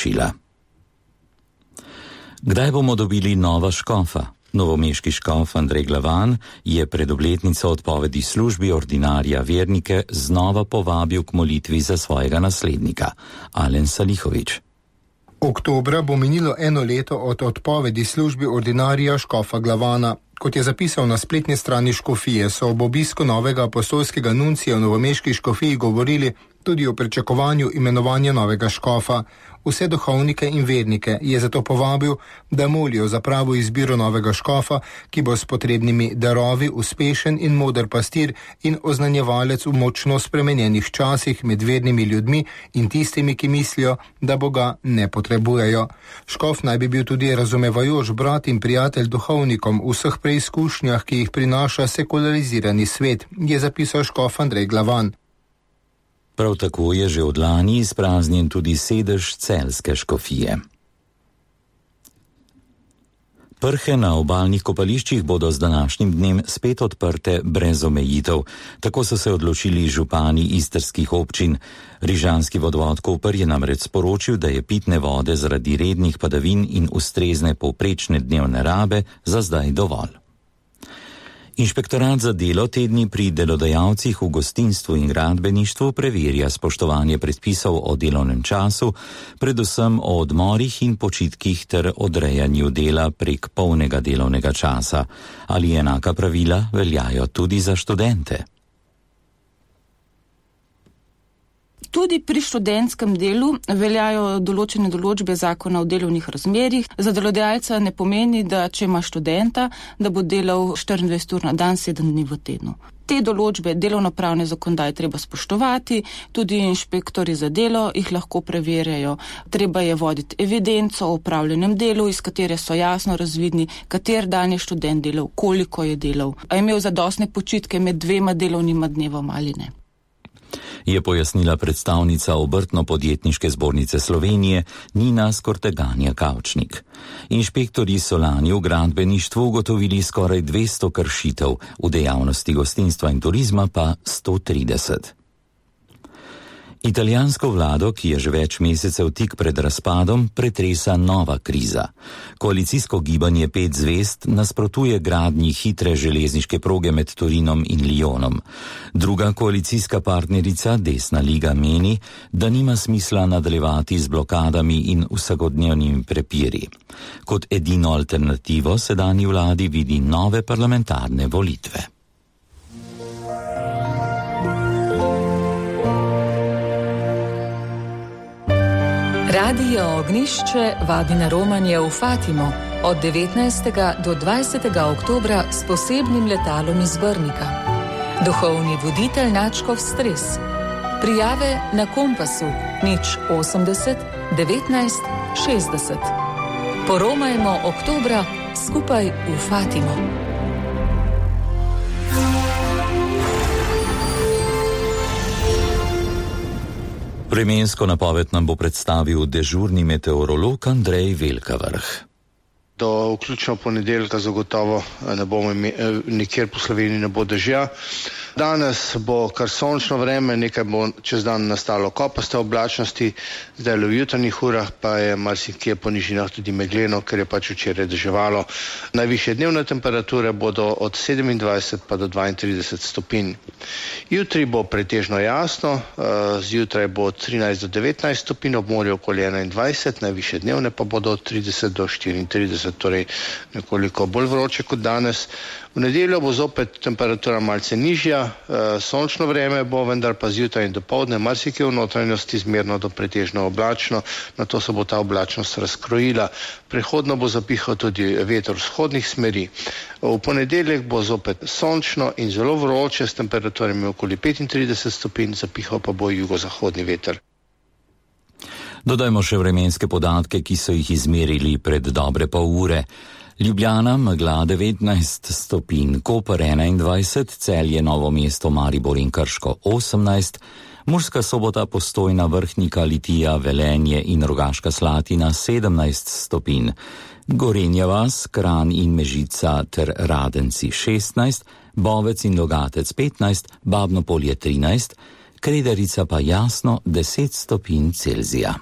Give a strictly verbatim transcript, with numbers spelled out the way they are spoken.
sporočila. Kdaj bomo dobili nova škofa? Novomeški škof Andrej Glavan je pred obletnico odpovedi službi ordinarja vernike znova povabil k molitvi za svojega naslednika, Alen Salihović. Oktobra bo minilo eno leto od odpovedi službi ordinarija škofa Glavana. Kot je zapisal na spletni strani škofije, so ob obisku novega apostolskega nuncija v novomeški škofiji govorili tudi o pričakovanju imenovanja novega škofa. Vse duhovnike in vernike je zato povabil, da molijo za pravo izbiro novega škofa, ki bo s potrebnimi darovi uspešen in moder pastir in oznanjevalec v močno spremenjenih časih med vernimi ljudmi in tistimi, ki mislijo, da Boga ne potrebujejo. Škof naj bi bil tudi razumevajoč brat in prijatelj duhovnikom v vseh preizkušnjah, ki jih prinaša sekularizirani svet, je zapisal škof Andrej Glavan. Prav tako je že od lani izpraznjen tudi sedež celjske škofije. Prhe na obalnih kopališčih bodo z današnjim dnem spet odprte brez omejitev. Tako so se odločili župani istrskih občin. Rižanski vodovod Koper je namreč sporočil, da je pitne vode zaradi rednih padavin in ustrezne povprečne dnevne rabe za zdaj dovolj. Inšpektorat za delo te dni pri delodajalcih v gostinstvu in gradbeništvu preverja spoštovanje predpisov o delovnem času, predvsem o odmorih in počitkih ter odrejanju dela prek polnega delovnega časa. Ali enaka pravila veljajo tudi za študente? Tudi pri študentskem delu veljajo določene določbe zakona o delovnih razmerjih. Za delodajalca ne pomeni, da če ima študenta, da bo delal štiriindvajset ur na dan, sedem dni v tednu. Te določbe delovnopravne zakonodaje treba spoštovati, tudi inšpektori za delo jih lahko preverjajo. Treba je voditi evidenco o opravljenem delu, iz katere so jasno razvidni, kater dan je študent delal, koliko je delal, a je imel zadostne počitke med dvema delovnima dnevoma ali ne. Je pojasnila predstavnica Obrtno-podjetniške zbornice Slovenije Nina Skorteganja-Kavčnik. Inšpektorji so lani v gradbeništvu ugotovili skoraj dvesto kršitev, v dejavnosti gostinstva in turizma pa sto trideset. Italijansko vlado, ki je že več mesecev tik pred razpadom, pretresa nova kriza. Koalicijsko gibanje Pet zvezd nasprotuje gradnji hitre železniške proge med Torinom in Lyonom. Druga koalicijska partnerica, Desna liga, meni, da nima smisla nadaljevati z blokadami in vsakodnevnimi prepiri. Kot edino alternativo sedanji vladi vidi nove parlamentarne volitve. Radio Ognjišče vabi na romanje v Fatimo od devetnajstega do dvajsetega oktobra s posebnim letalom iz Brnika. Duhovni voditelj Načkov Stres. Prijave na Kompasu nič osemdeset devetnajst šestdeset. Poromajmo oktobra skupaj v Fatimo. Vremensko napoved nam bo predstavil dežurni meteorolog Andrej Velkavrh. Do vključno ponedeljka zagotovo ne bomo imeli, nikjer po Sloveniji ne bo dežja. Danes bo kar sončno vreme, nekaj bo čez dan nastalo kopaste oblačnosti, zdaj v jutranjih urah pa je marsikje po nižinah tudi megleno, ker je pač včeraj deževalo. Najvišje dnevne temperature bodo od sedemindvajset pa do dvaintrideset stopinj. Jutri bo pretežno jasno, zjutraj bo od trinajst do devetnajst stopinj, ob morju okoli enaindvajset, najvišje dnevne pa bodo od trideset do štiriintrideset, torej nekoliko bolj vroče kot danes. V nedeljo bo zopet temperatura malce nižja, sončno vreme bo, vendar pa zjutraj in dopoldne marsikje v notranjosti zmerno do pretežno oblačno, nato se bo ta oblačnost razkrojila. Prehodno bo zapihal tudi veter vzhodnih smeri. V ponedeljek bo zopet sončno in zelo vroče s temperaturami okoli petintrideset stopinj, zapihal pa bo jugozahodni veter. Dodajmo še vremenske podatke, ki so jih izmerili pred dobre pol ure. Ljubljana, megla devetnajst stopinj, Koper enaindvajset, Celje, Novo mesto, Maribor in Krško osemnajst, Murska Sobota, Postojna, Vrhnika, Litija, Velenje in Rogaška Slatina sedemnajst stopinj, Gorenja vas, Kranj in Mežica ter Radenci šestnajst, Bovec in Logatec petnajst, Babno Polje trinajst, Kredarica pa Jasno deset stopinj Celzija.